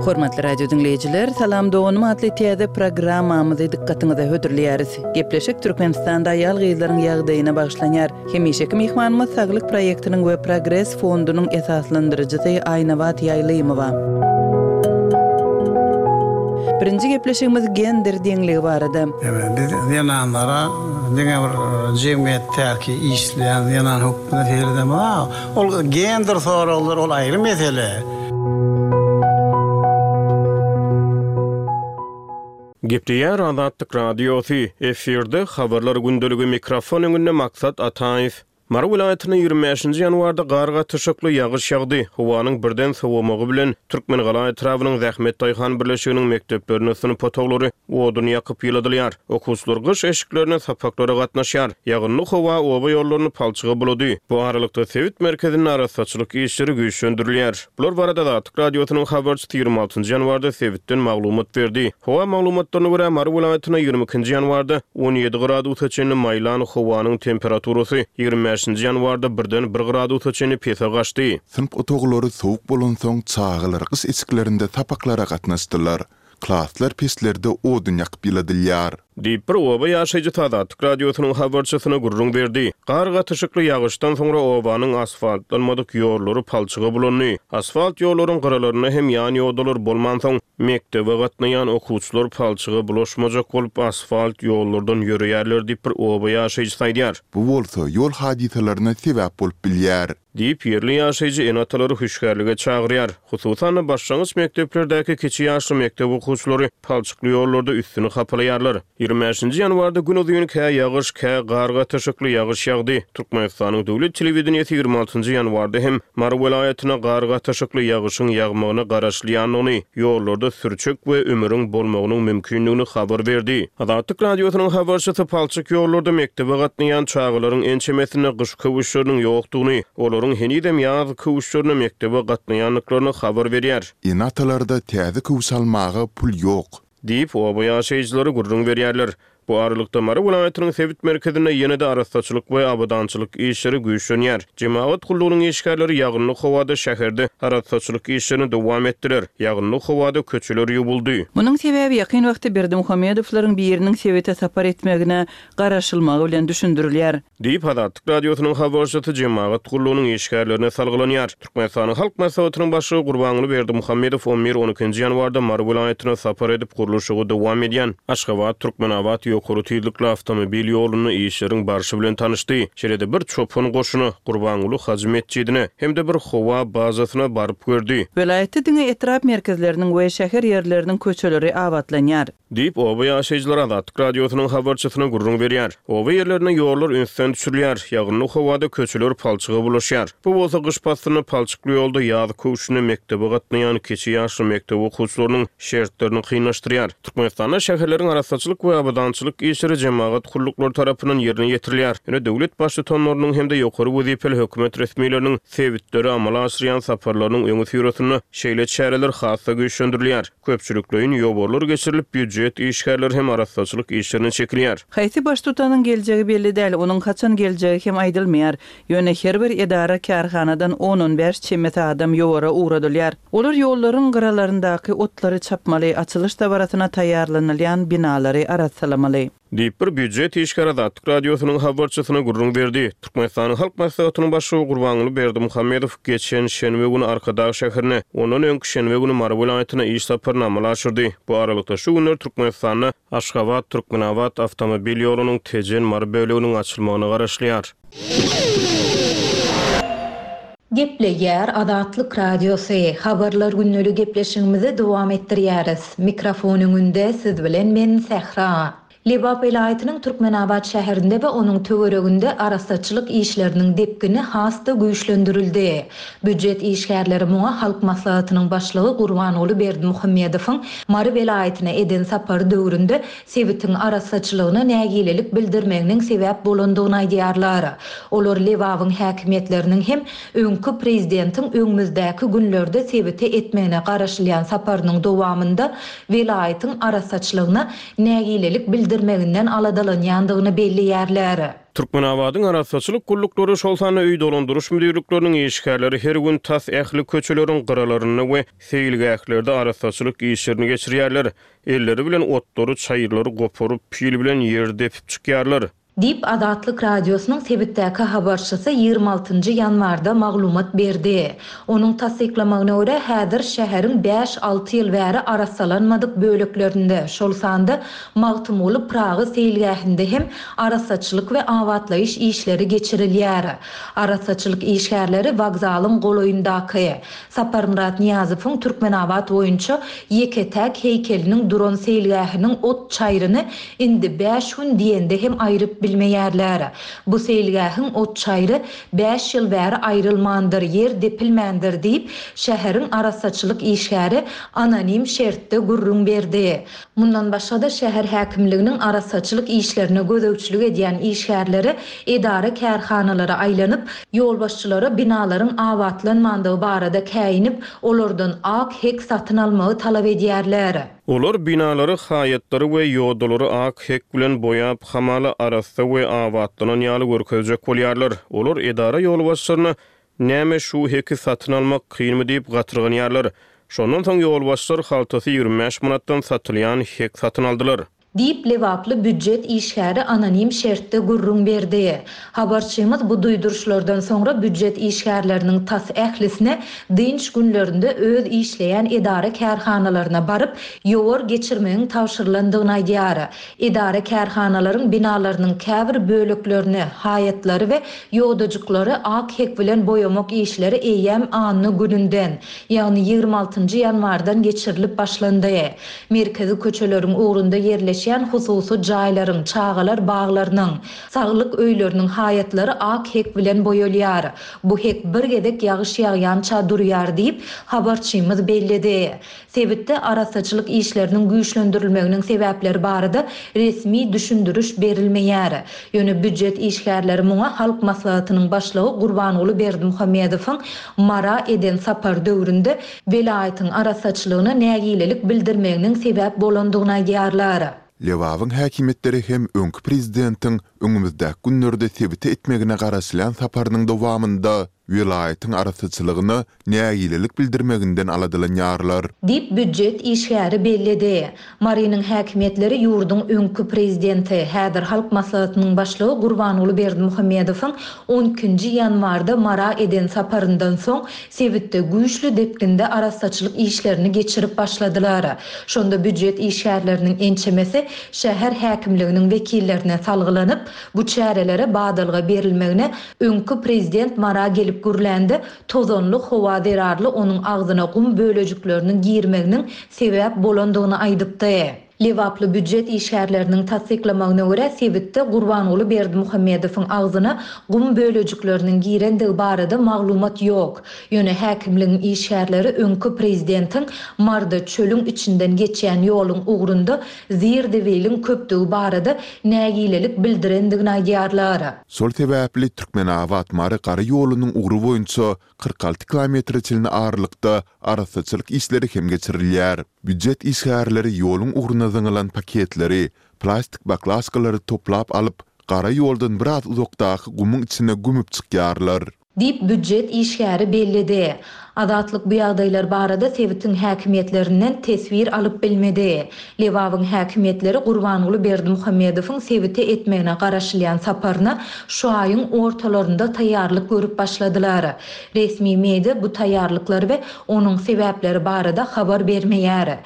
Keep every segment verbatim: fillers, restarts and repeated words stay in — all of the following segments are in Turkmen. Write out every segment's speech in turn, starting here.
Hormatly radio diňleýjiler, Salam doganym atly täze programmamyzy dykgatyňyza hödürleýäris. Gepleşik Türkmenistanda aýal-gyzlaryň ýagdaýyna bagyşlanýar. Hemişeki myhmanymyz Saglyk proýektiniň we Progres fondunyň esaslandyryjysy Aýnabat Ýaýlymowa. Birinji gepleşigimiz gender deňligi barada. Evet, biz zenanlara diňe bir jemgyýetdäki işleýän zenan hökmünde seredemez. Ol gender soraglary ol aýry mesele. Gepleýär Azatlyk Radiosy, efirde habarlar gündeligi mikrofon öňünde Maksat Ataýew. Mary welaýatynda ýigrimi bäşinji ýanwarda gar gatyşykly ýagyş ýagdy. Howanyň birden sowamagy bilen Türkmengala etrabynyň Zähmet daýhan birleşiginiň mekdeplerinde synp otaglary odun ýakyp ýyladylýar. Okuwçylar gyş eşiklerine sapaklara gatnaşýar. Ýagynly howa oba ýollaryny palçyga bulady. Bu aralykda sebit merkezinde arassaçylyk işleri güýçlendirilýär. Bular barada Azatlyk Radiosynyň habarçysy ýigrimi altynjy ýanwarda sebitden maglumat berdi. Howa maglumatlaryna görä Mary welaýatynda ýigrimi ikinji ýanwarda on ýedi gradusa çenli maýlan howanyň temperaturasy ýigrimi bäşinji ýanwarda birden bir gradusa çenli pese gaçdy. Synp otaglary sowuk bolansoň çagalar gyş eşiklerinde sapaklara gatnaşdylar. Klaslar peçlerde odun ýakyp ýyladylýar. Diýip bir oba ýaşaýjysy Azatlyk Radiosynyň habarçysyna gürrüň berdi. Gar gatyşykly ýagyşdan soňra obanyň asfaltlanmadyk ýollary palçyga bulandy. Asfalt ýollaryň gyralarynda hem ýan ýodalar bolmansoň, mekdebe gatnaýan okuwçylar palçyga bulaşmajak bolup asfalt ýollardan ýörýärler diýip bir oba ýaşaýjysy aýdýar. Bu bolsa ýol hadysalaryna sebäp bolup bilýär. Diýip ýerli ýaşaýjy ene-atalary hüşgärlige çagyrýar. Hususan-da başlangyç mekdeplerdäki kiçi ýaşly mekdep okuwçylary palçykly ýollarda üstüni hapalaýarlar. Ýigrimi bäşinji ýanwarda gün uzyn kä ýagyş, kä gar gatyşykly ýagyş ýagdy. Türkmenistanyň döwlet telewideniýesi ýigrimi altynjy ýanwarda hem Mary welaýatyna gar gatyşykly ýagyşyň ýagmagyna garaşylýandygyny, ýollarda sürçek we ümüriň bolmagynyň mümkindigini habar berdi. Azatlyk Radiosynyň habarçysy palçyk ýollarda mekdebe gatnaýan çagalaryň ençemesinde gyş köwüşleriniň ýokdugyny, olaryň henizem ýaz köwüşlerine mekdebe gatnaýandyklaryny habar berýär. Ene-atalarda täze köwüş almaga pul ýok. Diýip, oba ýaşaýjylary gürrüň berýärler. Bu aralykda Mary welaýatynyň sebit merkezinde ýene-de arassaçylyk we abadançylyk işleri güýçlenýär. Jemagat gullugynyň işgärleri ýagynly howada şäherde arassaçylyk işlerini dowam etdiler. Ýagynly howada köçeler ýuwuldy. Munuň sebäbi ýakyn wagtda Berdimuhamedowlaryň biriniň sebite sapar etmegine garaşylmagy bilen düşündirilýär. Diýip, Azatlyk Radiosynyň habarçysy jemagat gullugynyň işgärlerine salgylanýar. Türkmenistanyň Halk Maslahatynyň başlygy Gurbanguly Berdimuhamedow on bir on ikinji ýanwarda Mary welaýatyna sapar edip gurluşygy dowam edýän Aşgabat Türkmenabat ýokary tizlikli awtomobil ýolunda işleriň barşy bilen tanyşdy. Şeýle-de bir çopan goşuna Gurbanguly Hajy metjidine hem-de bir howa bazasyna baryp gördi. Welaýatda diňe etrap merkezleriniň we şäher ýerleriniň köçeleri abatlanýar. Diýip, oba ýaşaýjylary Azatlyk Radiosynyň habarçysyna gürrüň berýär. Oba ýerlerine ýollar ünsden düşürilýär, ýagynly howada köçeler palçyga bulaşýar. Bu bolsa gyş paslynda palçykly ýolda ýaz köwşüne mekdebe gatnaýan kiçi ýaşly mekdep okuwçylarynyň şertlerini kynlaşdyrýar. Türkmenistanda şäherleriň arassaçylyk we abadançylyk işleri jemagat gulluklary tarapyndan ýerine ýetirilýär. Ýöne döwlet baştutanlarynyň hem-de ýokary wezipeli hökümet resmileriniň sebitlere amala aşyrýan saparlarynyň öňüsyrasynda şeýle çäreler has-da güýçlendirilýär. Köpçülikleýin ýowarlar geçirilip, býujet işgärleri hem arassaçylyk işlerine çekilýär. Haýsy baştutanyň geljegi belli däl, onuň haçan geljegi hem aýdylmaýar. Ýöne her bir edara kärhanadan on-on bäş çemesi adam ýowara ugradylýar. Olar ýollaryň gyralaryndaky otlary çapmaly, açylyş dabarasyna taýýarlanylýan binalary arassalamaly. Diýip bir býujet işgäri Azatlyk Radiosynyň habarçysyna gürrüň berdi. Türkmenistanyň Halk Maslahatynyň başlygy Gurbanguly Berdimuhamedow geçen şenbe güni Arkadag şäherine, ondan öňki şenbe güni Mary welaýatyna iş saparyny amala aşyrdy. Bu aralykda şu günler Türkmenistanda Aşgabat Türkmenabat awtomobil ýolunyň Tejen Mary böleginiň açylmagyna garaşylýar. Gepleýär Azatlyk Radiosy. Habarlar günlügi gepleşigimizi dowam etdirýäris. Mikrofon öňünde siz bilen men Sähra. Lebap welaýatynyň Türkmenabat şäherinde we onuň töwereginde arassaçylyk işleriniň depgini has-da güýçlendirildi. Býujet işgärleri muňa Halk Maslahatynyň başlygy Gurbanguly Berdimuhamedowyň Mary welaýatyna eden sapary döwründe sebitiň arassaçylygyna nägilelik bildirmeginiň sebäp bolandygyny aýdýarlar. Olar Lebabyň häkimiýetleriniň hem öňki prezidentiň öňümizdäki günlerde sebite etmegine garaşylýan saparynyň dowamynda welaýatyň arassaçylygyna nägilelik bildirmeginiň bildirmeginden aladalanýandygyny belleýärler. Türkmenabadyň arassaçylyk gulluklary, şol sanda öý dolandyryş müdirlikleriniň işgärleri her gün tas ähli köçeleriň gyralarynda we seýilgählerde arassaçylyk işlerini geçirýärler. Elleri bilen otlary, çaýyrlary goparyp, pil bilen ýer depip çykýarlar. Diýip, Azatlyk Radiosynyň sebitdäki habarçysy ýigrimi altynjy ýanwarda maglumat berdi. Onuň tassyklamagyna görä, häzir şäheriň bäş-alty ýyl bäri arassalanmadyk böleklerinde, şol sanda Magtymguly Pyragy seýilgähinde hem arassaçylyk we abatlaýyş işleri geçirilýär. Arassaçylyk işgärleri wokzalyň golaýyndaky, Saparmyrat Nyýazowyň Türkmenabat boýunça ýeke-täk heýkeliniň duran seýilgähiniň ot çaýryny indi bäş gün diýende hem aýryp bilmeýärler. Bu seýilgähiň ot çaýry bäş ýyl bäri aýrylmandyr, ýer depilmändir diýip, şäheriň arassaçylyk işgäri anonim şertde gürrüň berdi. Mundan başga-da, şäher häkimliginiň arassaçylyk işlerine gözegçilik edýän işgärleri edara-kärhanalara aýlanyp, ýolbaşçylara binalaryň abatlanmandygy barada käýinip, olardan ak hek satyn almagy talap edýärler. Olar binalary, haýatlary we ýodalary ak hek bilen boýap, hamala arassa we abatlanan ýaly görkezjek bolýarlar. Olar edara ýolbaşçylaryna Näme şu heki satyn almak kynmy diýip gatyrganýarlar. Şondan soň ýolbaşçylar haltasy ýigrimi bäş manatdan satylýan hek satyn aldylar. Diýip, lebaply býujet işgäri anonim şertde gürrüň berdi. Habarçymyz bu duýduryşlardan soňra býujet işgärleriniň tas ählisine dynç günlerinde öz işleýän edara-kärhanalaryna baryp, ýowar geçirmegiň tabşyrylandygyny aýdýar. Edara-kärhanalaryň binalarynyň käbir böleklerini, haýatlary we ýodajyklary ak hek bilen boýamak işleri eýýäm anna gününden, ýagny ýigrimi altynjy ýanwardan geçirilip başlandy. Merkezi köçeleriň ugrunda ýerleşýän hususy jaýlaryň, çagalar baglarynyň, saglyk öýleriniň haýatlary ak hek bilen boýalýar. Bu hek bir gezek ýagyş ýagýança durýar diýip, habarçymyz belledi. Sebitde arassaçylyk işleriniň güýçlendirilmeginiň sebäpleri barada resmi düşündiriş berilmeýär. Ýöne býujet işgärleri muňa Halk Maslahatynyň Başlygy Gurbanguly Berdimuhamedowyň Mara eden sapary döwründe welaýatyň arassaçylygyna nägilelik bildirmeginiň sebäp bolandygyny aýdýarlar. Lebabyň häkimiýetleri hem öňki prezidentiň öňümizdäki günlerde sebite etmegine garaşylýan saparynyň dowamynda welaýatyň arassaçylygyna nägilelik bildirmeginden aladalanýarlar. Diýip, býujet işgäri belledi. Marynyň häkimiýetleri ýurduň öňki prezidenti, häzir Halk Maslahatynyň Başlygy Gurbanguly Berdimuhamedowyň on ikinji ýanwarda Mara eden saparyndan soň sebitde güýçli depginde arassaçylyk işlerini geçirip başladylar. Şonda býujet işgärleriniň ençemesi şäher häkimliginiň wekillerine salgylanyp, bu çärelere badalga berilmegine öňki prezident Mara gelip gürlände tozanly howa zerarly onuň agzyna gum bölejikleriniň girmeginiň sebäp bolandygyny aýdypdy. Lebaply býujet işgärleriniň tassyklamagyna görä, sebitde Gurbanguly Berdimuhamedowyň agzyna gum bölejikleriniň girendigi barada maglumat ýok. Ýöne häkimligiň işgärleri öňki prezidentiň Marda çölüň içinden geçýän ýoluň ugrunda zir-zibiliň köpdügi barada nägilelik bildirendigini aýdýarlar. Şol sebäpli Türkmenabat-Mary gara ýolunyň ugry boýunça kyrk alty kilometre çenli aralykda arassaçylyk işleri hem geçirilýär. Býujet işgärleri ýoluň ugruna zyňylan paketleri, plastik baklaşkalary toplap alyp, gara ýoldan biraz uzakdaky gumuň içine gömüp çykýarlar. Diýip, býujet işgäri belledi. Azatlyk bu ýagdaýlar barada sebitiň häkimiýetlerinden teswir alyp bilmedi. Lebabyň häkimiýetleri Gurbanguly Berdimuhamedowyň sebite etmegine garaşylýan saparyna şu aýyň ortalarynda taýýarlyk görüp başladylar. Resmi media bu taýýarlyklar we onuň sebäpleri barada habar bermeýär.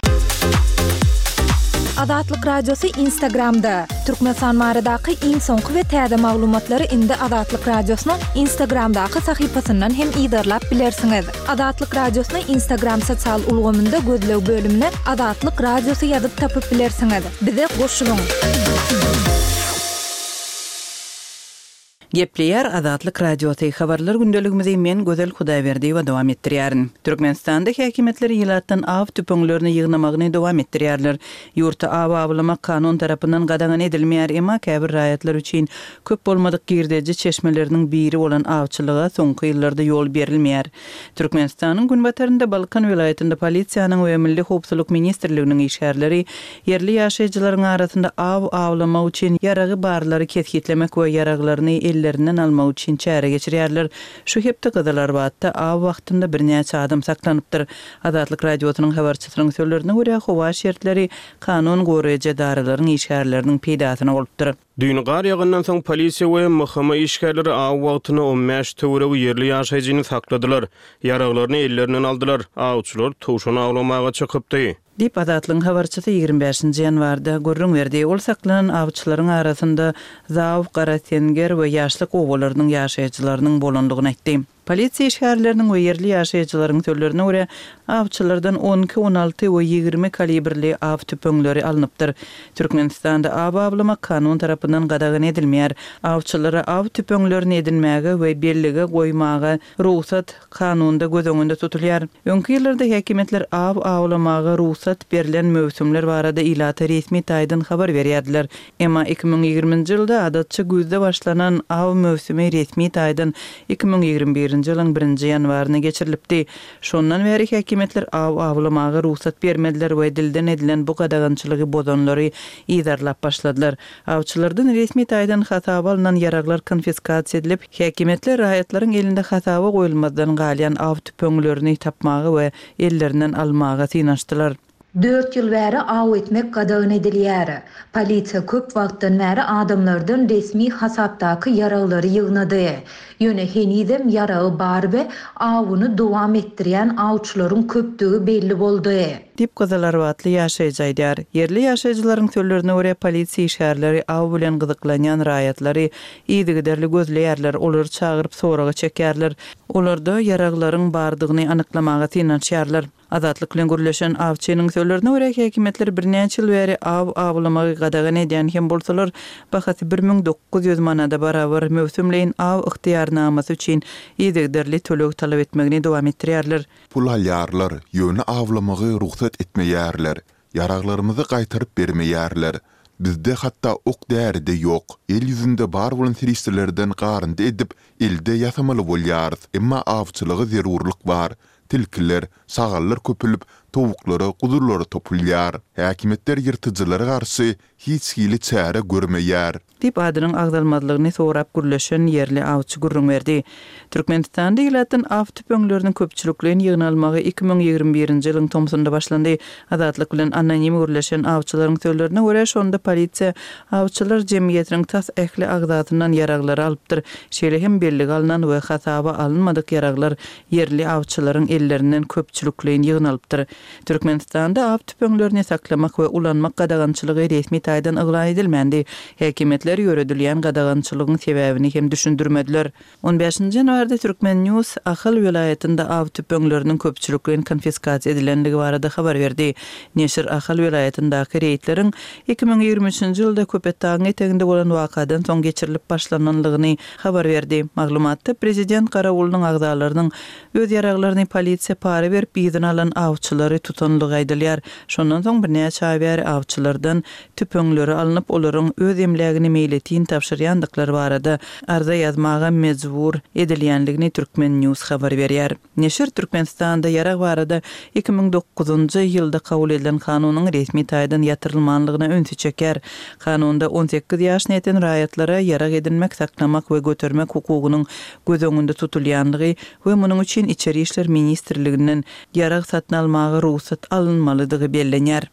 Azatlyk Radiosy Instagramda. Türkmenistan baradaky iň soňky we täze maglumatlary indi Azatlyk Radiosynyň Instagramdaky sahypasyndan hem yzarlap bilersiňiz. Azatlyk Radiosyny Instagram sosial ulgamynda gözleg bölümine Azatlyk Radiosy ýazyp tapyp bilersiňiz. Bize goşulyň! Gepleýär Azatlyk Radiosy, Habarlar gündeligimizi men Gözel Hudaýberdiýewa dowam etdirýärin. Türkmenistanda häkimiýetler ilatdan aw tüpeňlerini ýygnamagyny dowam etdirýärler. Ýurtda aw awlamak kanun tarapyndan gadagan edilmeýär, emma käbir raýatlar üçin köp bolmadyk girdeji çeşmeleriniň biri bolan awçylyga soňky ýyllarda ýol berilmeýär. Türkmenistanyň günbatarynda Balkan welaýatynda polisiýanyň we Milli howpsuzlyk ministrliginiň işgärleri ýerli ýaşaýjylaryň arasynda aw awlamak üçin ýaragy barlary kesgitlemek we ýaraglaryny ellerinden almak üçin çäre geçirýärler. Şu hepde Gyzylarbatda aw wagtynda birnäçe adam saklanypdyr. Azatlyk Radiosynyň habarçysynyň sözlerine görä, howa şertleri kanun goraýjy edaralaryň işgärleriniň peýdasyna bolupdyr. Düýn gar ýagandan soň polisiýa we M H M işgärleri aw wagtynda on bäş töweregi ýerli ýaşaýjyny sakladylar. Ýaraglaryny ellerinden aldylar. Awçylar towşan awlamaga çykypdy. Diýip, Azatlygyň habarçysy ýigrimi bäşinji ýanwarda gürrüň berdi. Ol saklanan awçylaryň arasynda Zaw, Garasenger we Ýaşlyk obalarynyň ýaşaýjylarynyň bolandygyny aýtdy. Polisiýa işgärleriniň we ýerli ýaşaýjylaryň sözlerine görä, awçylardan on iki, on alty we ýigrimi kalibrli aw tüpeňleri alnypdyr. Türkmenistanda aw awlamak kanun tarapyndan gadagan edilmeýär. Awçylara aw tüpeňlerini edinmäge we bellige goýmaga rugsat kanunda göz öňünde tutulýar. Öňki ýyllarda häkimiýetler aw awlamaga rugsat berlen möwsümler barada ilata resmi taýdan habar berýärdiler. Emma iki müň ýigriminji ýylda adatça güýzde başlanan aw möwsümi resmi taýdan iki müň ýigrimi birinji ýylyň birinji ýanwaryna geçirilipdi. Şondan bäri häkimiýetler aw awlamaga rugsat bermediler we dilden edilen bu gadagançylygy bozanlary yzarlap başladylar. Awçylardan resmi taýdan hasaba alnan ýaraglar konfiskasiýa edilip, häkimiýetler raýatlaryň elinde hasaba goýulmazdan galýan aw tüpeňlerini tapmaga we ellerinden almaga synanyşdylar. Dört ýyl bäri aw etmek gadagan edilýär. Polisiýa köp wagtdan bäri adamlardan resmi hasapdaky ýaraglary ýygnady. Ýöne henizem ýaragy bar we awuny dowam etdirýän awçylaryň köpdügi belli boldy. Diýip Gyzylarbatly ýaşaýjy aýdýar. Ýerli ýaşaýjylaryň sözlerine görä polisiýa işgärleri aw bilen gyzyklanýan raýatlary yzygiderli gözleýärler, olary çagyryp soraga çekýärler. Olarda ýaraglaryň bardygyny anyklamaga synanyşýarlar. Azatlyk bilen gürleşen awçynyň sözlerine görä häkimiýetler birnäçe ýyl bäri aw awlamagy gadagan edýän hem bolsalar, bahasy bir müň dokuz ýüz manada barabar möwsümleýin aw ygtyýarnamasy üçin yzygiderli töleg talap etmegini dowam etdirýärler. Pul alýarlar, ýöne awlamagy rugsat etmeýärler. Ýaraglarymyzy gaýtaryp bermeýärler. Bizde hatda ok däri-de ýok. El ýüzünde bar bolan serişdelerden garyndy edip, elde ýasamaly bolýarys. Emma awçylyga zerurlyk bar. Tilkiler, şagallar köpülip, towuklara, guzulara topulýar. Häkimiýetler ýyrtyjylara garşy hiç hili çäre görmeýär. Diýip adynyň agzalmazlygyny sorap gürleşen ýerli awçy gürrüň berdi. Türkmenistanda ilatdan aw tüpeňleriniň köpçülikleýin ýygnalmagy iki müň ýigrimi birinji ýylyň tomsunda başlandy. Azatlyk bilen anonim gürleşen awçylaryň sözlerine görä şonda polisiýa awçylar jemgyýetiniň tas ähli agzasyndan ýaraglary alypdyr. Şeýle hem bellige alnan we hasaba alynmadyk ýaraglar ýerli awçylaryň ellerinden köpçülikleýin ýygnalypdyr. Türkmenistanda aw tüpeňlerini saklamak we ulanmak gadagançylygy resmi taýdan yglan edilmändi. Häkimiýetler ýöredilýän gadagançylygyň sebäbini hem düşündirmediler. On bäşinji ýanwarda Türkmen News Ahal welaýatynda aw tüpeňleriniň köpçülikleýin konfiskasiýa edilenligi barada habar berdi. Neşir Ahal welaýatyndaky reýdleriň iki müň ýigrimi üçünji ýylda Köpetdagyň eteginde bolan wakadan soň geçirilip başlananlygyny habar berdi. Maglumatda prezident Garawulynyň agzalarynyň öz ýaraglaryny polisiýa para berip yzyna alan awçylary tutanlygy aýdylýar. Şondan soň birnäçe aý bäri awçylardan tüpeňleri alnyp, olaryň öz emlägini meýletin tabşyrýandyklary barada arza ýazmaga mejbur edilýänligini Türkmen News habar berýär. Neşir Türkmenistanda ýarag barada iki müň dokuzynjy ýylda kabul edilen kanunyň resmi taýdan ýatyrylmanlygyna ünsi çeker. Kanunda on sekiz ýaşyna ýeten raýatlara ýarag edinmek, saklamak we götermek hukugynyň göz öňünde tutulýanlygy we munuň üçin Içeri İşler Ministrliginden ýarag satyn almaga rugsat alynmalydygy bellenýär.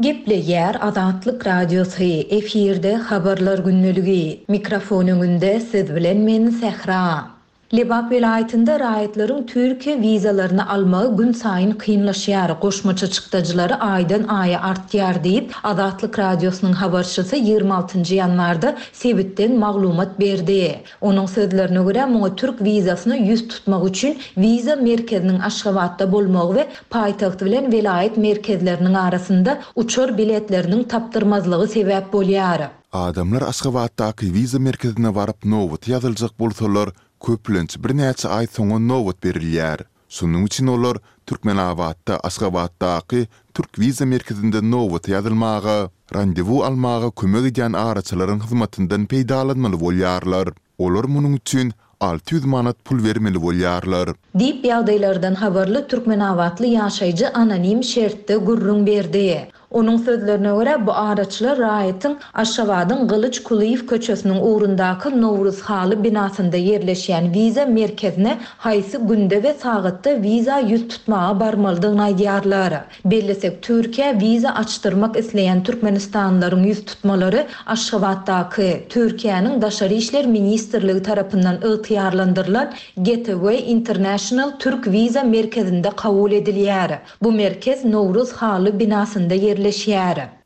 Gepleýär Azatlyk Radiosy, efirde habarlar gündeligi. Mikrofon öňünde siz bilen men Sähra. Lebap welaýatynda raýatlaryň Türkiýe wizalaryny almagy günsaýyn kynlaşýar, goşmaça çykdajylary aýdan-aýa artýar diýip, Azatlyk Radiosynyň habarçysy ýigrimi altynjy ýanwarda sebitden maglumat berdi. Onuň sözlerine görä, muňa türk wizasyna ýüz tutmak üçin wiza merkeziniň Aşgabatda bolmagy we paýtagt bilen welaýat merkezleriniň arasynda uçar biletleriniň tapdyrmazlygy sebäp bolýar. Adamlar Aşgabatdaky wiza merkezine baryp nobata ýazyljak bolsalar, köplenç birnäçe aý soňa nobat berilýär. Şonuň üçin olar Türkmenabatda Aşgabatdaky türk wiza merkezinde nobata ýazylmaga, randewu almaga kömek edýän araçylaryň hyzmatyndan peýdalanmaly bolýarlar. Olar munuň üçin alty ýüz manat pul bermeli bolýarlar. Diýip, ýagdaýlardan habarly türkmenabatly ýaşaýjy anonim şertde gürrüň berdi. Onuň sözlerine görä, bu araçylar raýatyň Aşgabadyň Gylyç Kulyýew köçesiniň ugrundaky Nowruz haly binasynda ýerleşýän wiza merkezine haýsy günde we sagatda wiza ýüz tutmaga barmalydygyny aýdýarlar. Bellesek, Türkiýä wiza açdyrmak isleýän türkmenistanlylaryň ýüz tutmalary Aşgabatdaky, Türkiýäniň Daşary işler ministrligi tarapyndan ygtyýarlandyrylan Gateway International Türk wiza merkezinde kabul edilýär. Bu merkez Nowruz haly binasynda ýerleşýär.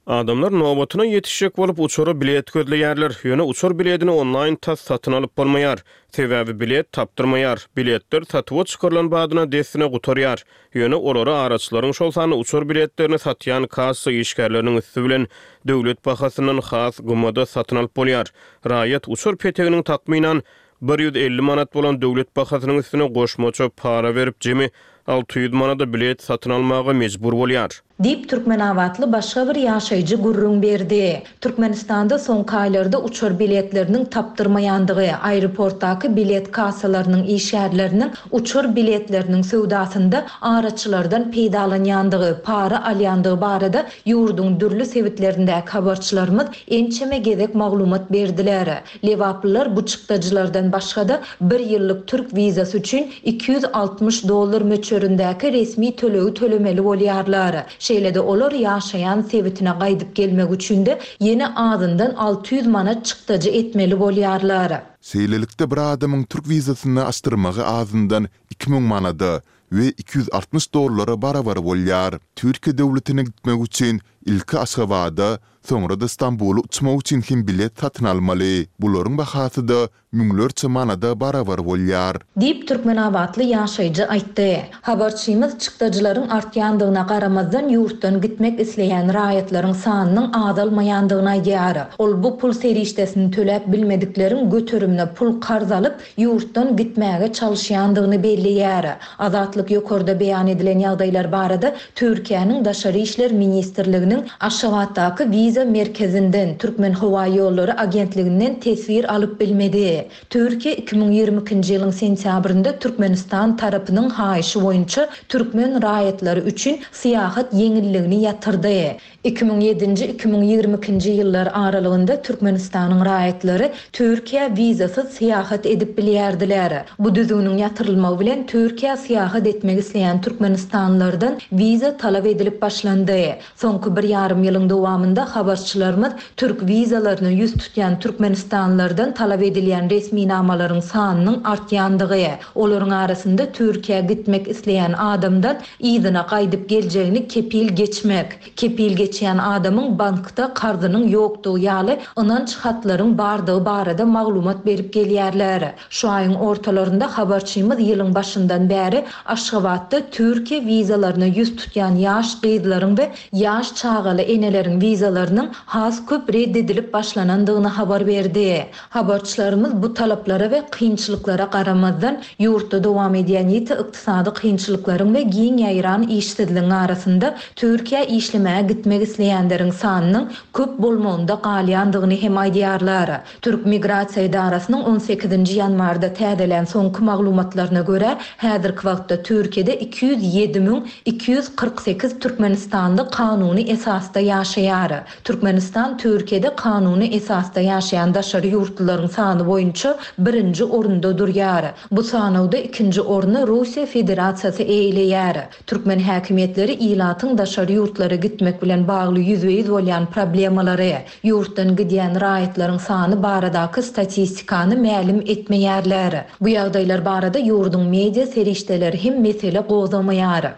Adamlar nobatyna ýetişjek bolup uçara bilet gözleýärler. Ýöne uçar biledini onlaýn tas satyn alyp bolmaýar. Sebäbi bilet tapdyrmaýar. Biletler satuwa çykarylan badyna dessine gutarýar. Ýöne olary araçylaryň, şol sanda uçar biletlerini satýan kassa işgärleriniň üsti bilen döwlet bahasyndan has gymmada satyn alyp bolýar. Raýat uçar peteginiň takmynan bir ýüz elli manat bolan döwlet bahasynyň üstüne goşmaça para berip, jemi alty ýüz manada bilet satyn almaga mejbur bolýar. Diýip, türkmenabatly başga bir ýaşaýjy gürrüň berdi. Türkmenistanda soňky aýlarda uçar biletleriniň tapdyrmaýandygy, aeroportdaky bilet kassalarynyň işgärleriniň uçar biletleriniň söwdasynda araçylardan peýdalanýandygy, para alýandygy barada ýurduň dürli sebitlerindäki habarçylarymyz ençeme gezek maglumat berdiler. Lebaplylar bu çykdajylardan başga-da, bir ýyllyk türk wizasy üçin iki ýüz altmyş dollar möçberindäki resmi tölegi tölemeli bolýarlar. Şeýle-de olar ýaşaýan sebitine gaýdyp gelmek üçin-de ýene azyndan alty ýüz manat çykdajy etmeli bolýarlar. Şeýlelikde bir adamyň türk wizasyny açdyrmagy azyndan iki müň manada we iki ýüz altmyş dollara barabar bolýar. Türkiýe döwletine gitmek üçin ilki Aşgabada, soňra-da Stambula uçmak üçin hem bilet satyn almaly. Bularyň bahasy-da müňlerçe manada barabar bolýar. Diýip, türkmenabatly ýaşaýjy aýtdy. Habarçymyz çykdajylaryň artýandygyna garamazdan, ýurtdan gitmek isleýän raýatlaryň sanynyň azalmaýandygyny aýdýar. Ol bu pul serişdesini töläp bilmedikleriň göterimine pul karz alyp, ýurtdan gitmäge çalyşýandygyny belleýär. Azatlyk ýokarda beýan edilen ýagdaýlar barada Türkiýäniň Daşary işler ministrliginiň Aşgabatdaky wiza merkezinden, Türkmenhowaýollary agentliginden teswir alyp bilmedi. Türkiýe iki müň ýigrimi ikinji ýylyň sentýabrynda Türkmenistan tarapynyň haýyşy boýunça türkmen raýatlary üçin syýahat ýeňilligini ýatyrdy. Iki müň ýedinji, iki müň ýigrimi ikinji ýyllar aralygynda Türkmenistanyň raýatlary Türkiýä wizasyz syýahat edip bilýärdiler. Bu düzgüniň ýatyrylmagy bilen Türkiýä syýahat etmek isleýän türkmenistanlylardan wiza talap edilip başlandy. Soňky bir ýarym ýylyň dowamynda habarçylarymyz türk wizalaryna ýüz tutýan türkmenistanlylardan talap edilýän resminamalaryň sanynyň artýandygy, olaryň arasynda Türkiýä gitmek isleýän adamdan yzyna gaýdyp geljegini kepil geçmek, kepil geçýän adamyň bankda karzynyň ýokdugy ýaly ynanç hatlaryň bardygy barada maglumat berip gelýärler. Şu aýyň ortalarynda habarçymyz ýylyň başyndan bäri Aşgabatda Türkiýe wizalaryna ýüz tutýan ýaş gyzlaryň we ýaş çagaly eneleriň wizalarynyň has köp red edilip başlanandygyny habar berdi. Habarçylarymyz bu talaplara we kynçylyklara garamazdan, ýurtda dowam edýän ýiti ykdysady kynçylyklaryň we giň ýaýran işsizligiň arasynda Türkiýä işlemäge gitmek isleýänleriň sanynyň köp bolmagynda galýandygyny hem aýdýarlar. Türk Migrasiýa edarasynyň on sekizinji ýanwarda täzelän soňky maglumatlaryna görä, häzirki wagtda Türkiýede iki ýüz ýedi müň iki ýüz kyrk sekiz türkmenistanly kanuny esasda ýaşaýar. Türkmenistan Türkiýede kanuny esasda ýaşaýan daşary ýurtlularyň sany boýunça birinji orunda durýar. Bu sanawda ikinji orny Russiýa Federasiýasy eýeleýär. Türkmen häkimiýetleri ilatyň daşary ýurtlara gitmek bilen bagly ýüzbe-ýüz bolýan problemalary, ýurtdan gidýän raýatlaryň sany baradaky statistikany mälim etmeýärler. Bu ýagdaýlar barada ýurduň media serişdeleri hem mesele gozgamaýar.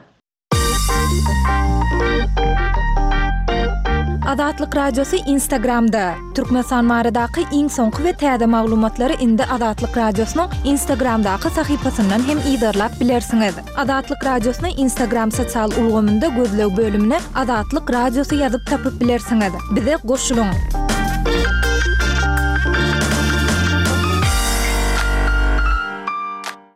Azatlyk Radiosy Instagramda. Türkmenistan baradaky iň soňky we täze maglumatlary indi Azatlyk Radiosynyň Instagramdaky sahypasyndan hem yzarlap bilersiňiz. Azatlyk Radiosyny Instagram sosial ulgamynda gözleg bölümine Azatlyk Radiosy ýazyp tapyp bilersiňiz. Bize goşulyň.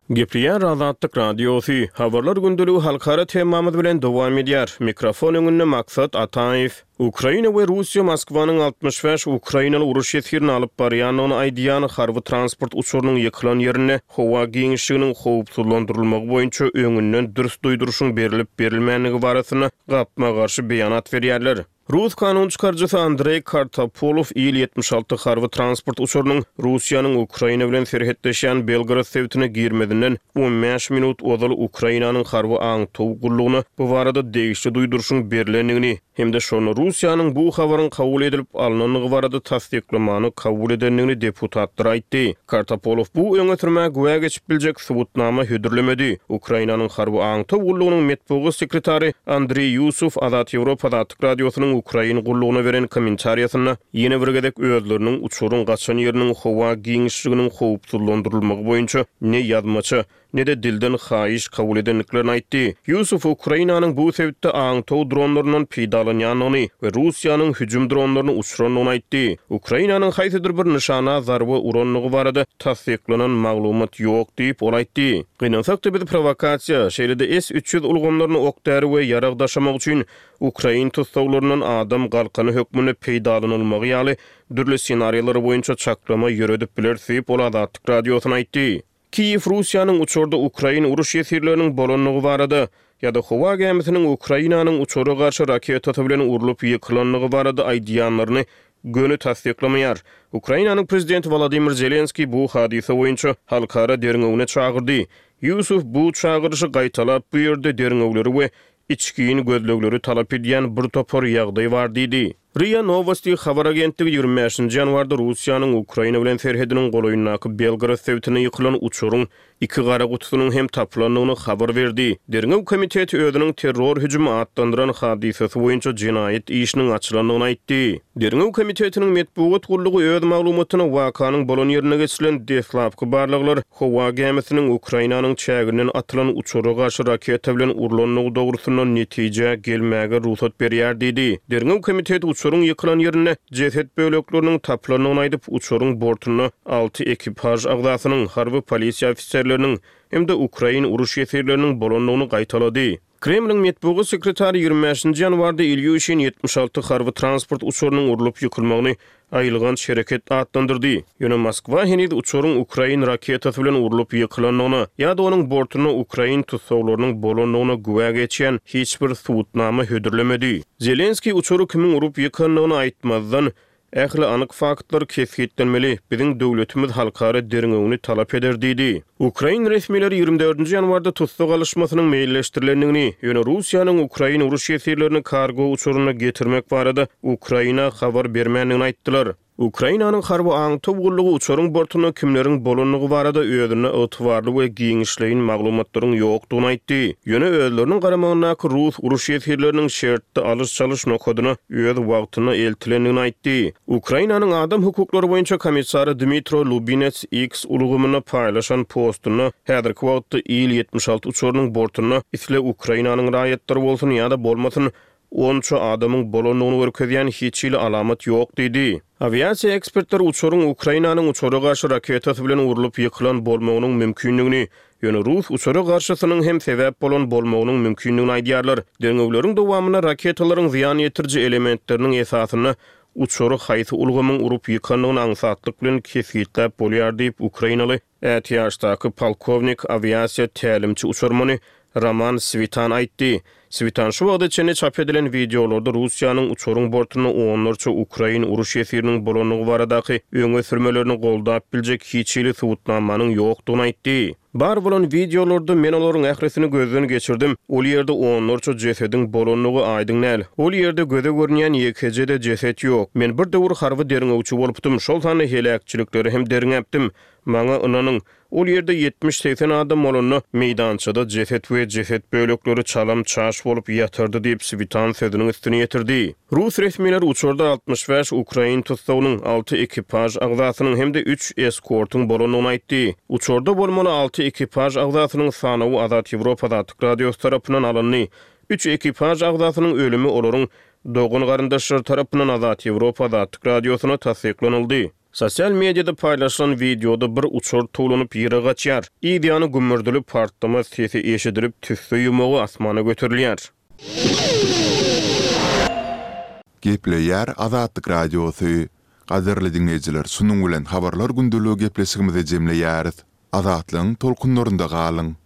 Gepleýär Azatlyk Radiosy. Habarlar gündeligi halkara temamyz bilen dowam edýär. Mikrofon öňünde Maksat Ataýew. Ukraina we Russiýa Moskwanyň altmyş bäş ukrainaly uruş ýesgirini alyp barýandygyny aýdýan harby transport uçarynyň ýykylan ýerinde howa giňişliginiň howpsuzlandyrylmagy boýunça öňünden dürs duýduryşyň berilip-berilmänligi barasynda gapma-garşy beýanat berýärler. Rus kanun çykaryjysy Andreý Kartapolow Il ýetmiş alty harby transport uçarynyň Russiýanyň Ukraina bilen serhetleşýän Belgorod sebitine girmezinden on bäş minut ozal Ukrainanyň harby aňtaw gullugyna bu barada degişli duýduryşyň berlendigini hem-de şonda Russiýanyň bu habaryň kabul edilip alynandygy barada tassyklamany kabul edendigini deputatlar aýtdy. Kartapolow bu öňe sürmä güwä geçip biljek subutnama hödürlemedi. Ukrainanyň harby aňtaw gullugynyň metbugat sekretary Andreý Ýusuf Azat Ýewropa Azatlyk Radiosynyň Ukrain gullugyna beren kommentariýasynda ýene bir gezek özleriniň uçaryň gaçan ýeriniň howa giňişliginiň howpsuzlandyrylmagy boýunça ne ýazmaça, ne-de dilden haýyş kabul edendiklerini aýtdy. Ýusuf Ukrainanyň bu sebitde aňtaw dronlaryndan peýdalanýandygyny we Russiýanyň hüjüm dronlaryny uçurandygyny aýtdy. Ukrainanyň haýsydyr bir nyşana zarba urandygy barada tassyklanan maglumat ýok diýip ol aýtdy. Gynansak-da biz provokasiýa, şeýle-de S üç ýüz ulgamlaryny ok-däri we ýarag daşamak üçin Ukrain tussaglaryndan adam galkany hökmünde peýdalanylmagy ýaly dürli ssenariýalar boýunça çaklama ýöredip biler diýip ol Azatlyk Radiosyna aýtdy. Kiýew Russiýanyň uçarda Ukrain uruş ýesirleriniň bolandygy barada ýa-da howa gämisiniň Ukrainanyň uçara garşy raketasy bilen urlup ýykylandygy barada aýdýanlaryny göni tassyklamaýar. Ukrainanyň prezidenti Wladimir Zelenskiý bu hadysa boýunça halkara derňewine çagyrdy. Ýusuf bu çagyryşy gaýtalap bu ýerde derňewleri we içgin gözlegleri talap edýän bir topar ýagdaý bar diýdi. RIA Novosti habar agentligi ýigrimi bäşinji ýanwarda Russiýanyň Ukraina bilen serhediniň golaýyndaky Belgorod sebitine ýykylan uçaryň iki gara gutusynyň hem tapylandygyny habar berdi. Derňew komiteti özüniň terror hüjümi atlandyran hadysasy boýunça jenaýat işiniň açylandygyny aýtdy. Derňew komitetiniň metbugat gullugy öz maglumatyna wakanyň bolan ýerine geçirilen deslapky barlaglar howa gämisiniň Ukrainanyň çäginden atylan uçara garşy raketa bilen urlandygy dogrusynda netijä gelmäge rugsat berýär diýdi. Derňew komiteti uçaryň ýykylan ýerinde jeset bölekleriniň tapylandygyny aýdyp, uçaryň bortunda alty ekipaž agzasynyň, harby polisiýa ofiserleriniň hem-de Ukrain uruş ýesirleriniň bolandygyny gaýtalady. Kremliň metbugat sekretary ýigrimi bäşinji ýanwarda Ilýuşin ýetmiş alty harby transport uçarynyň urlup ýykylmagyny aýylganç hereket atlandyrdy. Ýöne Moskwa heniz uçaryň Ukrain raketasy bilen urlup ýykylandygyna ýa-da onuň bortunda Ukrain tussaglarynyň bolandygyna güwä geçýän hiç bir subutnama hödürlemedi. Zelenskiý uçary kimiň urup ýykandygyny aýtmazdan, ähli anyk faktlar kesgitlenmeli, biziň döwletimiz halkara derňewini talap eder diýdi. Ukrain resmileri ýigrimi dördünji ýanwarda tussag alyşmasynyň meýilleşdirilendigini, ýöne Russiýanyň Ukrain uruş ýesirlerini kargo uçaryna getirmek barada Ukraina habar bermändigini aýtdylar. Ukrainanyň harby aňtaw gullugy uçaryň bortunda kimleriň bolandygy barada özünde ygtybarly we giňişleýin maglumatlaryň ýokdugyny aýtdy. Ýöne özleriniň garamagyndaky rus uruş ýesirleriniň şertli alyş-çalyş nokadyna öz wagtynda eltilendigini aýtdy. Ukrainanyň adam hukuklary boýunça komissary Dmitro Lubinets X ulgamynda paýlaşan postunda häzirki wagtda Il ýetmiş alty uçarynyň bortunda isle Ukrainanyň raýatlary bolsun ýa-da bolmasyn onça adamyň bolandygyny görkezýän hiç hili alamat ýok diýdi. Awiasiýa ekspertleri uçaryň Ukrainanyň uçara garşy raketasy bilen urlup ýykylan bolmagynyň mümkinligini, ýöne rus uçara garşysynyň hem sebäp bolan bolmagynyň mümkinligini aýdýarlar. Derňewleriň dowamynda raketalaryň zyýan ýetiriji elementleriniň esasynda uçary haýsy ulgamyň urup ýykandygyny aňsatlyk bilen kesgitläp bolýar diýip Ukrainaly ätiýaçdaky polkownik awiasiýa tälimçi uçarmany Roman Switan aýtdy. Switan şu wagta çenli çap edilen wideolarda Russiýanyň uçaryň bortunda onlarça ukrain uruş ýesiriniň bolandygy baradaky öňe sürmelerini goldap biljek hiç hili subutnamanyň ýokdugyny aýtdy. Bar bolan wideolarda men olaryň ählisini gözden geçirdim, ol ýerde onlarça jesediň bolandygy aýdyň däl. Ol ýerde göze görünýän ýekeje-de jeset ýok. Men bir döwür harby derňewçi bolupdym, şol sanda heläkçilikleri hem derňäpdim. Maňa ynanyň, ol ýerde ýetmiş-segsen adam bolanda, meýdançada jeset we jeset bölekleri çalam-çaş bolup ýatyrdy diýip, Switan sözüniň üstüni ýetirdi. Rus resmileri uçarda altmyş bäş ukrain tussagynyň, alty ekipaž agzasynyň hem-de üç eskortyň bolandygyny aýtdy. Uçarda bolmaly alty ekipaž agzasynyň sanawy Azat Ýewropa Azatlyk Radiosy tarapyndan alyndy. Üç ekipaž agzasynyň ölümi olaryň dogan-garyndaşlary tarapyndan Azat Ýewropa Azatlyk Radiosyna tassyklanyldy. Sosial mediada paýlaşylan wideoda bir uçar towlanyp ýere gaçýar. Yz ýany gümmürdili partlama sesi eşidilip, tüsse ýumagy asmana göterilýär. Gepleýär Azatlyk Radiosy. Gadyrly diňleýjiler, şunuň bilen Habarlar gündeligi gepleşigimizi jemleýäris. Azatlygyň tolkunlarynda galyň!